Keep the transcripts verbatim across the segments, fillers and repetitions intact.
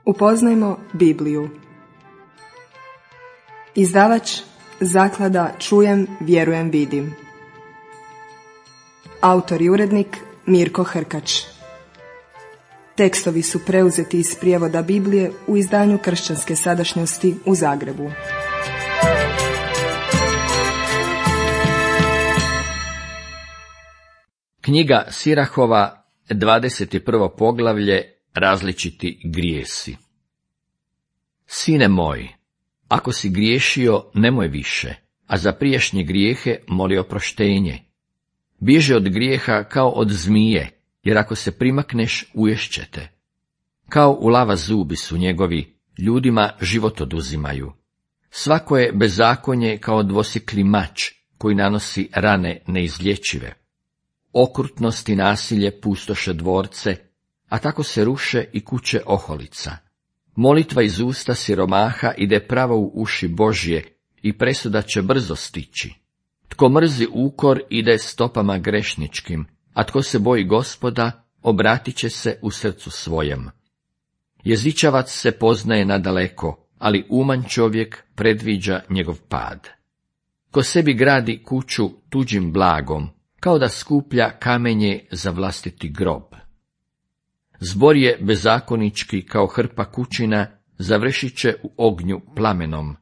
Upoznajmo Bibliju. Izdavač Zaklada Čujem, vjerujem, vidim. Autor i urednik Mirko Hrkač. Tekstovi su preuzeti iz prijevoda Biblije u izdanju Kršćanske sadašnjosti u Zagrebu. Knjiga Sirahova, dvadeset prvo poglavlje, različiti grijesi. Sine moj, ako si griješio, nemoj više, a za prijašnje grijehe moli oproštenje. Bježi od grijeha kao od zmije, jer ako se primakneš, uješćete. Kao u lava zubi su njegovi, ljudima život oduzimaju. Svako je bezakonje kao dvosjekli mač, koji nanosi rane neizlječive. Okrutnost i nasilje pustoše dvorce, a tako se ruše i kuće oholica. Molitva iz usta siromaha ide pravo u uši Božje i presuda će brzo stići. Tko mrzi ukor ide stopama grešničkim, a tko se boji Gospoda, obratit će se u srcu svojem. Jezičavac se poznaje nadaleko, ali uman čovjek predviđa njegov pad. Ko sebi gradi kuću tuđim blagom, kao da skuplja kamenje za vlastiti grob. Zbor je bezakonički kao hrpa kućina, završit će u ognju plamenom.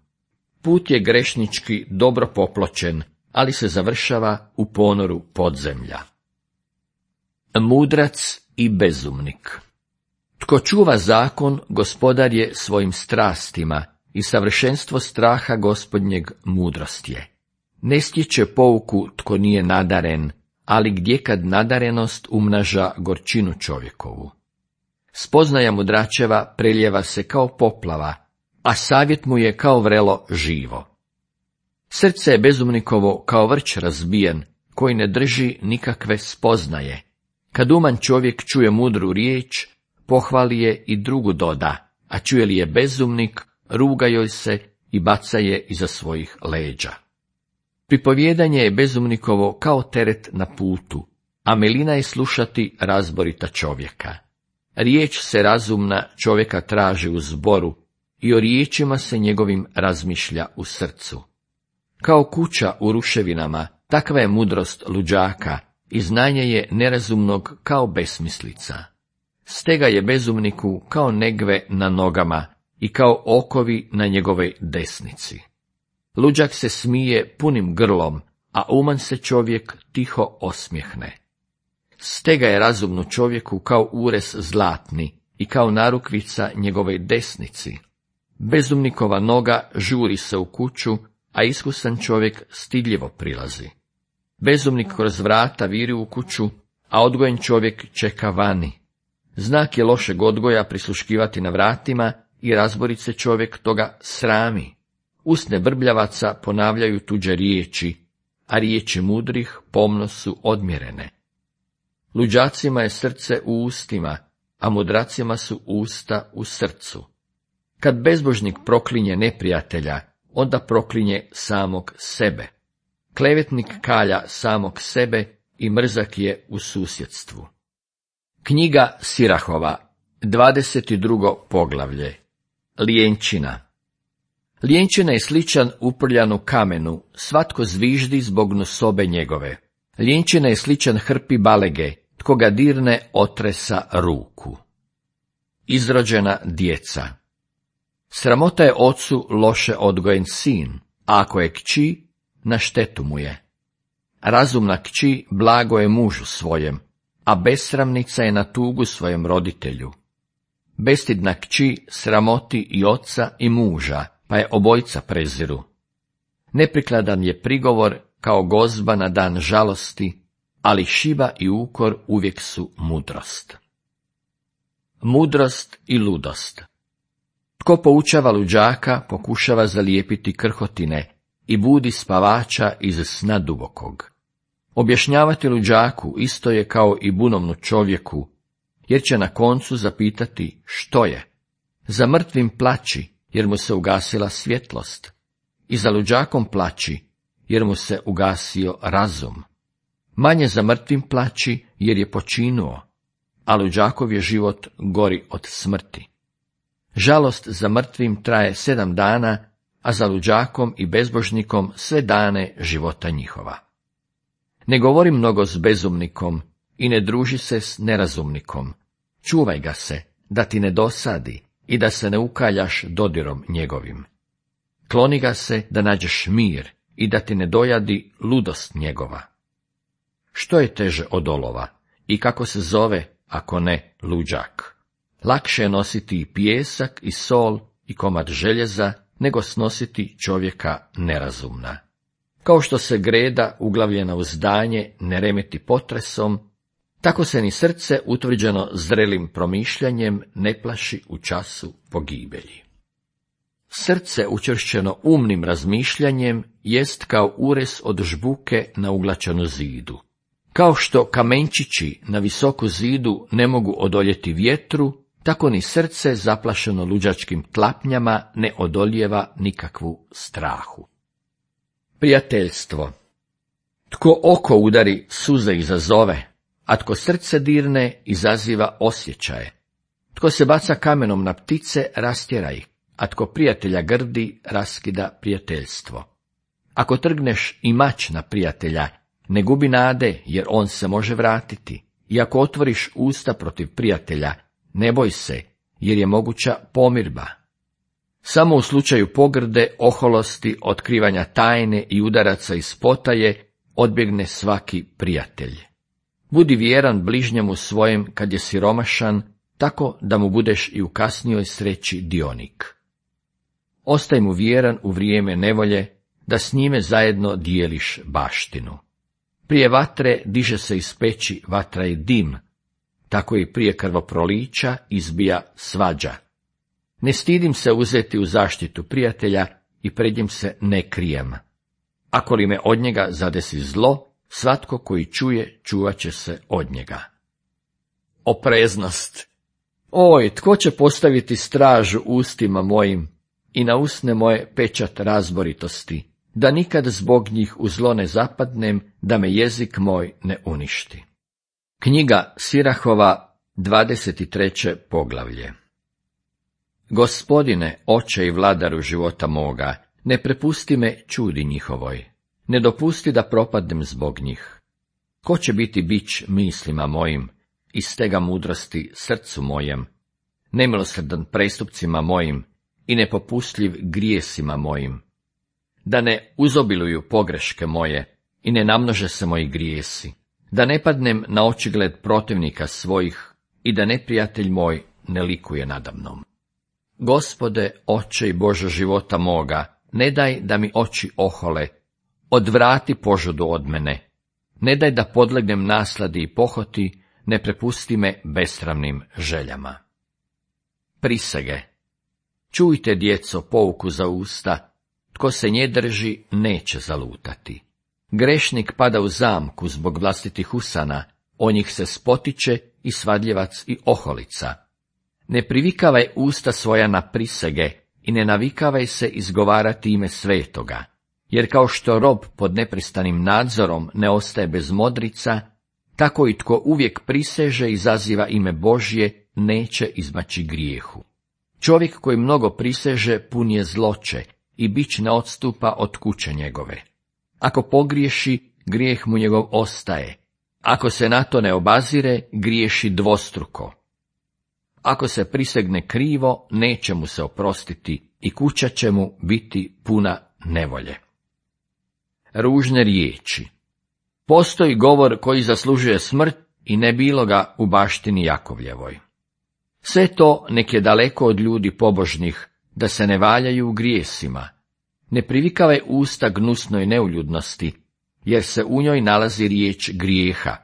Put je grešnički dobro popločen, ali se završava u ponoru podzemlja. Mudrac i bezumnik. Tko čuva zakon, gospodar je svojim strastima, i savršenstvo straha gospodnjeg mudrost je. Ne stječe pouku tko nije nadaren, ali gdje kad nadarenost umnaža gorčinu čovjekovu. Spoznaja mudračeva preljeva se kao poplava, a savjet mu je kao vrelo živo. Srce je bezumnikovo kao vrč razbijen, koji ne drži nikakve spoznaje. Kad uman čovjek čuje mudru riječ, pohvali je i drugu doda, a čuje li je bezumnik, ruga joj se i baca je iza svojih leđa. Pripovjedanje je bezumnikovo kao teret na putu, a milina je slušati razborita čovjeka. Riječ se razumna čovjeka traži u zboru i o riječima se njegovim razmišlja u srcu. Kao kuća u ruševinama, takva je mudrost luđaka i znanje je nerazumnog kao besmislica. Stega je bezumniku kao negve na nogama i kao okovi na njegovoj desnici. Luđak se smije punim grlom, a uman se čovjek tiho osmjehne. Stega je razumnu čovjeku kao ures zlatni i kao narukvica njegove desnici. Bezumnikova noga žuri se u kuću, a iskusan čovjek stidljivo prilazi. Bezumnik kroz vrata viri u kuću, a odgojen čovjek čeka vani. Znak je lošeg odgoja prisluškivati na vratima i razborit se čovjek toga srami. Usne brbljavaca ponavljaju tuđe riječi, a riječi mudrih pomno su odmjerene. Luđacima je srce u ustima, a mudracima su usta u srcu. Kad bezbožnik proklinje neprijatelja, onda proklinje samog sebe. Klevetnik kalja samog sebe i mrzak je u susjedstvu. Knjiga Sirahova, dvadeset drugo poglavlje. Lijenčina. Lijenčina je sličan uprljanu kamenu, svatko zviždi zbog nosobe njegove. Lijenčina je sličan hrpi balege, tko ga dirne otresa ruku. Izrođena djeca. Sramota je ocu loše odgojen sin, a ako je kći, na štetu mu je. Razumna kći blago je mužu svojem, a besramnica je na tugu svojem roditelju. Bestidna kći sramoti i oca i muža, pa je obojca preziru. Neprikladan je prigovor kao gozba na dan žalosti, ali šiba i ukor uvijek su mudrost. Mudrost i ludost. Tko poučava luđaka, pokušava zalijepiti krhotine i budi spavača iz sna dubokog. Objašnjavati luđaku isto je kao i bunovnu čovjeku, jer će na koncu zapitati što je. Za mrtvim plači, jer mu se ugasila svjetlost, i za luđakom plači, jer mu se ugasio razum. Manje za mrtvim plači, jer je počinuo, a luđakov je život gori od smrti. Žalost za mrtvim traje sedam dana, a za luđakom i bezbožnikom sve dane života njihova. Ne govori mnogo s bezumnikom i ne druži se s nerazumnikom. Čuvaj ga se, da ti ne dosadi i da se ne ukaljaš dodirom njegovim. Kloni ga se da nađeš mir i da ti ne dojadi ludost njegova. Što je teže od olova i kako se zove, ako ne luđak? Lakše je nositi i pijesak i sol i komad željeza, nego snositi čovjeka nerazumna. Kao što se greda uglavljena u zdanje ne remeti potresom, tako se ni srce utvrđeno zrelim promišljanjem ne plaši u času pogibelji. Srce učvršćeno umnim razmišljanjem jest kao ures od žbuke na uglačanu zidu. Kao što kamenčići na visoku zidu ne mogu odoljeti vjetru, tako ni srce zaplašeno luđačkim tlapnjama ne odoljeva nikakvu strahu. Prijateljstvo. Tko oko udari, suze izazove, a tko srce dirne, izaziva osjećaje. Tko se baca kamenom na ptice, rastjera ih, a tko prijatelja grdi, raskida prijateljstvo. Ako trgneš i mač na prijatelja, ne gubi nade, jer on se može vratiti. I ako otvoriš usta protiv prijatelja, ne boj se, jer je moguća pomirba. Samo u slučaju pogrde, oholosti, otkrivanja tajne i udaraca iz potaje, odbjegne svaki prijatelj. Budi vjeran bližnjemu svojem kad je siromašan, tako da mu budeš i u kasnijoj sreći dionik. Ostaj mu vjeran u vrijeme nevolje, da s njime zajedno dijeliš baštinu. Prije vatre diže se iz peći vatra i dim, tako i prije krvoprolića izbija svađa. Ne stidim se uzeti u zaštitu prijatelja i pred njim se ne krijem. Ako li me od njega zadesi zlo, svatko koji čuje, čuvat će se od njega. Opreznost. Oj, tko će postaviti stražu ustima mojim i na usne moje pečat razboritosti, da nikad zbog njih u zlo ne zapadnem, da me jezik moj ne uništi. Knjiga Sirahova, dvadeset treće poglavlje. Gospodine, oče i vladaru života moga, ne prepusti me čudi njihovoj, ne dopusti da propadnem zbog njih. Ko će biti bić mislima mojim, i stega mudrosti srcu mojem, nemilosrdan prestupcima mojim i nepopustljiv grijesima mojim, da ne uzobiluju pogreške moje i ne namnože se moji grijesi, da ne padnem na očigled protivnika svojih i da neprijatelj moj ne likuje nadamnom. Gospode, oče i Bože života moga, ne daj da mi oči ohole, odvrati požudu od mene, ne daj da podlegnem nasladi i pohoti, ne prepusti me besramnim željama. Prisege. Čujte, djeco, pouku za usta, tko se nje drži, neće zalutati. Grešnik pada u zamku zbog vlastitih usana, o njih se spotiče i svadljivac i oholica. Ne privikavaj usta svoja na prisege i ne navikavaj se izgovarati ime svetoga, jer kao što rob pod neprestanim nadzorom ne ostaje bez modrica, tako i tko uvijek priseže i izaziva ime Božje, neće izmaći grijehu. Čovjek koji mnogo priseže pun je zloće i bić ne odstupa od kuće njegove. Ako pogriješi, grijeh mu njegov ostaje. Ako se na to ne obazire, griješi dvostruko. Ako se prisegne krivo, neće mu se oprostiti i kuća će mu biti puna nevolje. Ružne riječi. Postoji govor koji zaslužuje smrt i ne bilo ga u baštini Jakovljevoj. Sve to nek je daleko od ljudi pobožnih, da se ne valjaju u grijesima. Ne privikavaj usta gnusnoj neuljudnosti, jer se u njoj nalazi riječ grijeha.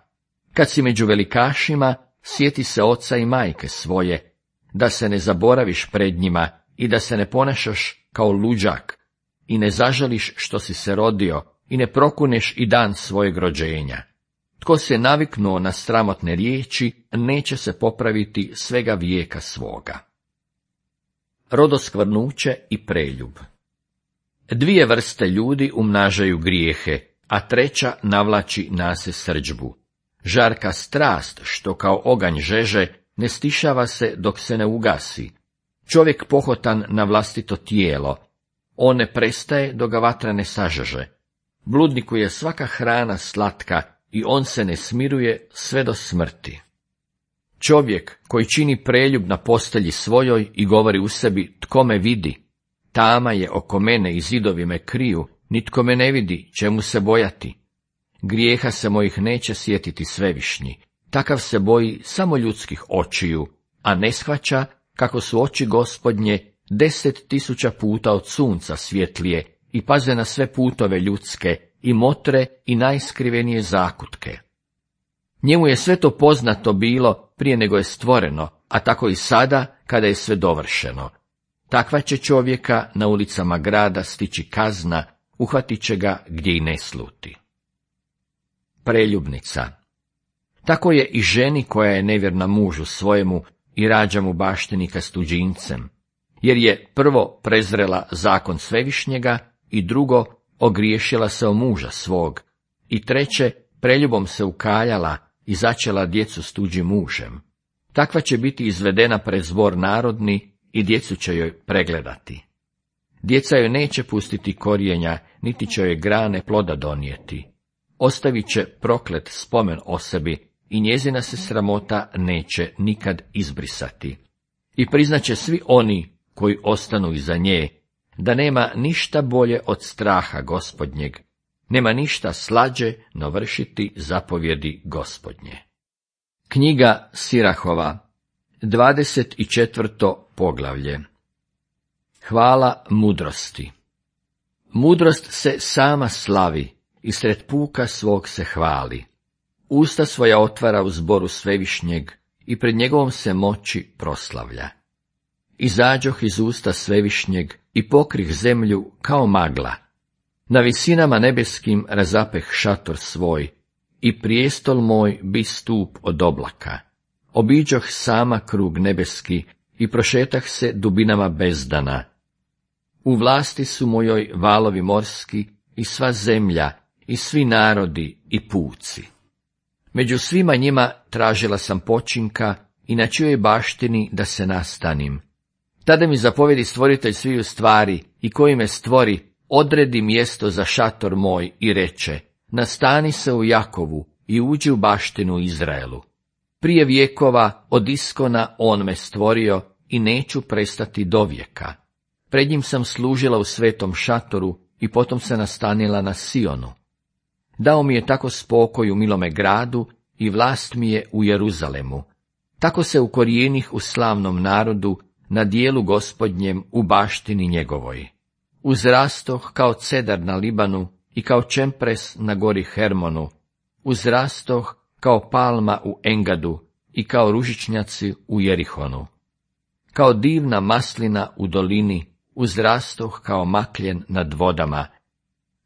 Kad si među velikašima, sjeti se oca i majke svoje, da se ne zaboraviš pred njima i da se ne ponašaš kao luđak i ne zažališ što si se rodio i ne prokuneš i dan svojeg rođenja. Tko se naviknuo na sramotne riječi, neće se popraviti svega vijeka svoga. Rodoskvrnuće i preljub. Dvije vrste ljudi umnažaju grijehe, a treća navlači nase srdžbu. Žarka strast, što kao oganj žeže, ne stišava se dok se ne ugasi. Čovjek pohotan na vlastito tijelo, on ne prestaje dok ga vatra ne sažeže. Bludniku je svaka hrana slatka i on se ne smiruje sve do smrti. Čovjek koji čini preljub na postelji svojoj i govori u sebi, tko me vidi, tama je oko mene i zidovi me kriju, nitko me ne vidi, čemu se bojati. Grijeha se mojih neće sjetiti svevišnji, takav se boji samo ljudskih očiju, a ne shvaća kako su oči Gospodnje deset tisuća puta od sunca svjetlije i paze na sve putove ljudske i motre i najskrivenije zakutke. Njemu je sve to poznato bilo prije nego je stvoreno, a tako i sada kada je sve dovršeno. Takva će čovjeka na ulicama grada stići kazna, uhvatit će ga gdje i ne sluti. Preljubnica. Tako je i ženi koja je nevjerna mužu svojemu i rađa mu baštenika s tuđincem, jer je prvo prezrela zakon svevišnjega i drugo ogriješila se o muža svog i treće preljubom se ukaljala i začela djecu s tuđim mužem. Takva će biti izvedena pred zbor narodni i djecu će joj pregledati. Djeca joj neće pustiti korijenja, niti će joj grane ploda donijeti. Ostavit će proklet spomen o sebi i njezina se sramota neće nikad izbrisati. I priznaće svi oni koji ostanu iza nje, da nema ništa bolje od straha Gospodnjeg, nema ništa slađe no vršiti zapovjedi Gospodnje. Knjiga Sirahova, dvadeset četvrto poglavlje. Hvala mudrosti. Mudrost se sama slavi i sred puka svog se hvali. Usta svoja otvara u zboru svevišnjeg i pred njegovom se moći proslavlja. Izađoh iz usta svevišnjeg i pokrih zemlju kao magla. Na visinama nebeskim razapeh šator svoj i prijestol moj bi stup od oblaka. Obiđoh sama krug nebeski i prošetah se dubinama bezdana. U vlasti su mojoj valovi morski i sva zemlja i svi narodi i puci. Među svima njima tražila sam počinka i na čijoj baštini da se nastanim. Tada mi zapovjedi stvoritelj sviju stvari i koji me stvori, odredi mjesto za šator moj i reče, nastani se u Jakovu i uđi u baštinu Izraelu. Prije vjekova od iskona on me stvorio i neću prestati do vijeka. Pred njim sam služila u svetom šatoru i potom se nastanila na Sionu. Dao mi je tako spokoj u milome gradu i vlast mi je u Jeruzalemu. Tako se ukorijenih u slavnom narodu, na dijelu Gospodnjem u baštini njegovoj. Uzrastoh kao cedar na Libanu i kao čempres na gori Hermonu. Uzrastoh kao palma u Engadu i kao ružičnjaci u Jerihonu. Kao divna maslina u dolini, uzrastoh kao makljen nad vodama.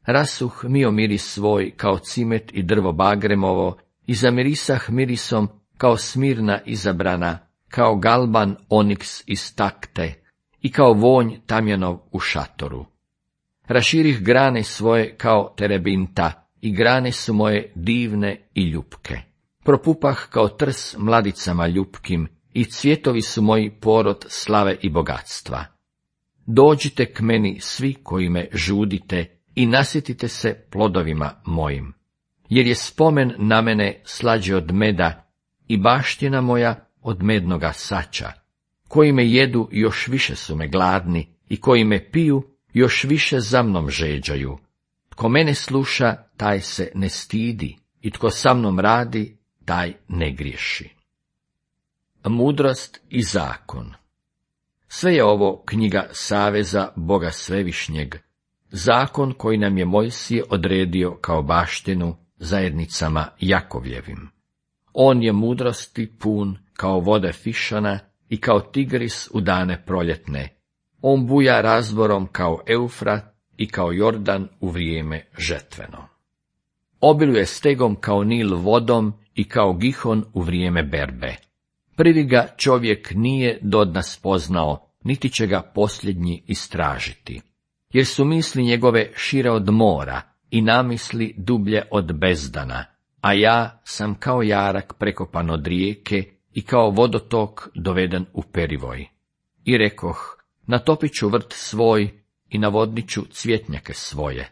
Rasuh mio miris svoj kao cimet i drvo bagremovo i zamirisah mirisom kao smirna izabrana, kao galban oniks iz takte i kao vonj tamjanov u šatoru. Raširih grane svoje kao terebinta i grane su moje divne i ljupke. Propupah kao trs mladicama ljupkim i cvjetovi su moji porod slave i bogatstva. Dođite k meni svi koji me žudite i nasjetite se plodovima mojim, jer je spomen na mene slađe od meda i baština moja od mednoga sača. Koji me jedu još više su me gladni i koji me piju još više za mnom žeđaju. Tko mene sluša, taj se ne stidi i tko sa mnom radi, taj ne griješi. Mudrost i zakon. Sve je ovo knjiga saveza Boga Svevišnjeg, zakon koji nam je Mojsije odredio kao baštinu zajednicama Jakovljevim. On je mudrosti pun kao vode Fišana i kao tigris u dane proljetne. On buja razborom kao Eufrat i kao Jordan u vrijeme žetveno. Obiluje stegom kao Nil vodom i kao Gihon u vrijeme berbe. Prvi ga čovjek nije dodna spoznao, niti će ga posljednji istražiti. Jer su misli njegove šire od mora i namisli dublje od bezdana, a ja sam kao jarak prekopan od rijeke i kao vodotok doveden u perivoj. I rekoh, natopit ću vrt svoj i navodnit ću cvjetnjake svoje.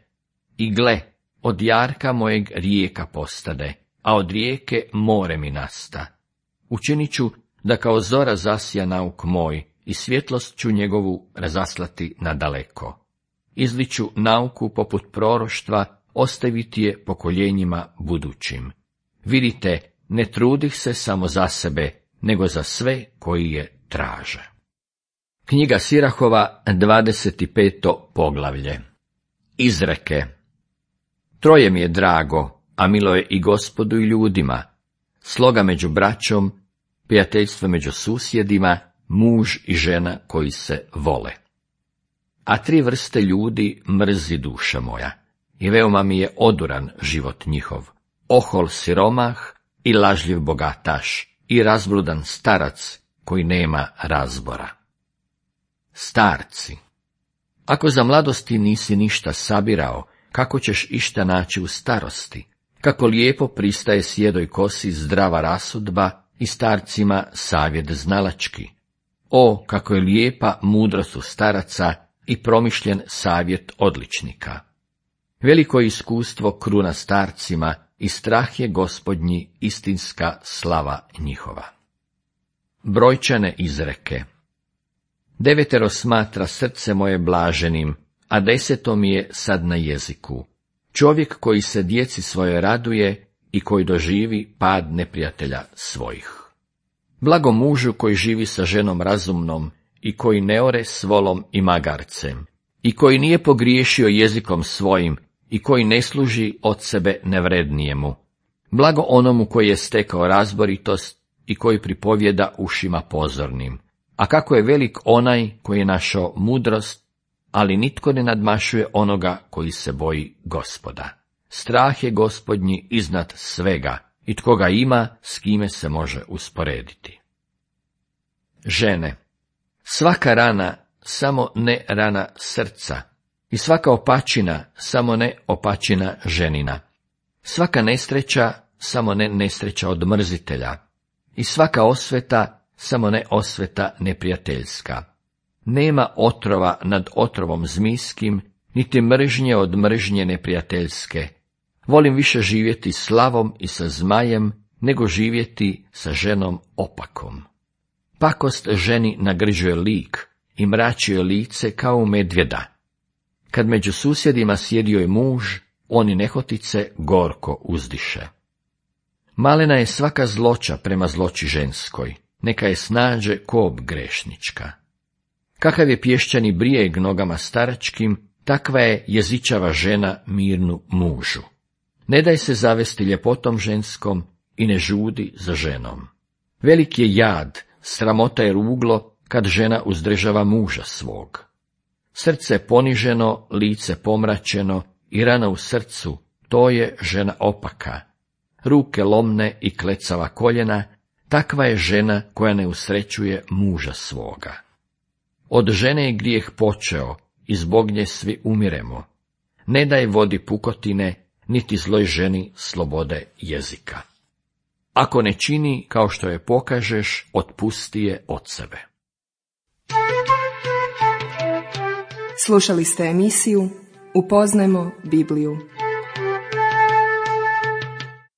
I gle, od jarka mojeg rijeka postade, a od rijeke more mi nasta. Učinit ću da kao zora zasija nauk moj i svjetlost ću njegovu razaslati nadaleko. Izliću nauku poput proroštva, ostaviti je pokoljenjima budućim. Vidite, ne trudih se samo za sebe, nego za sve koji je traže. Knjiga Sirahova, dvadeset peto poglavlje. Izreke. Troje mi je drago, a milo je i Gospodu i ljudima, sloga među braćom, prijateljstvo među susjedima, muž i žena koji se vole. A tri vrste ljudi mrzi duša moja, i veoma mi je oduran život njihov, ohol siromah i lažljiv bogataš, i razbludan starac koji nema razbora. Starci. Ako za mladosti nisi ništa sabirao, kako ćeš išta naći u starosti? Kako lijepo pristaje sjedoj kosi zdrava rasudba i starcima savjet znalački. O, kako je lijepa mudrost u staraca i promišljen savjet odličnika. Veliko je iskustvo kruna starcima i strah je Gospodnji istinska slava njihova. Brojčane izreke. Devetero smatra srce moje blaženim, a deseto mi je sad na jeziku. Čovjek koji se djeci svoje raduje i koji doživi pad neprijatelja svojih. Blago mužu koji živi sa ženom razumnom i koji ne ore s volom i magarcem, i koji nije pogriješio jezikom svojim i koji ne služi od sebe nevrednijemu. Blago onomu koji je stekao razboritost i koji pripovjeda ušima pozornim. A kako je velik onaj koji je našao mudrost, ali nitko ne nadmašuje onoga koji se boji Gospoda. Strah je Gospodnji iznad svega, i tko ga ima, s kime se može usporediti. Žene. Svaka rana, samo ne rana srca, i svaka opačina, samo ne opačina ženina. Svaka nesreća, samo ne nesreća od mrzitelja, i svaka osveta, samo ne osveta neprijateljska. Nema otrova nad otrovom zmijskim, niti mržnje od mržnje neprijateljske. Volim više živjeti s lavom i sa zmajem, nego živjeti sa ženom opakom. Pakost ženi nagrđuje lik i mračio lice kao u medvjeda. Kad među susjedima sjedio je muž, oni nehotice gorko uzdiše. Malena je svaka zloća prema zloći ženskoj, neka je snađe kob grešnička. Kakav je pješčani brijeg nogama staračkim, takva je jezičava žena mirnu mužu. Ne daj se zavesti ljepotom ženskom i ne žudi za ženom. Velik je jad, sramota je ruglo, kad žena uzdržava muža svog. Srce poniženo, lice pomračeno i rana u srcu, to je žena opaka. Ruke lomne i klecava koljena, takva je žena koja ne usrećuje muža svoga. Od žene je grijeh počeo, i zbog nje svi umiremo. Ne daj vodi pukotine, niti zloj ženi slobode jezika. Ako ne čini kao što je pokažeš, otpusti je od sebe. Slušali ste emisiju Upoznajmo Bibliju.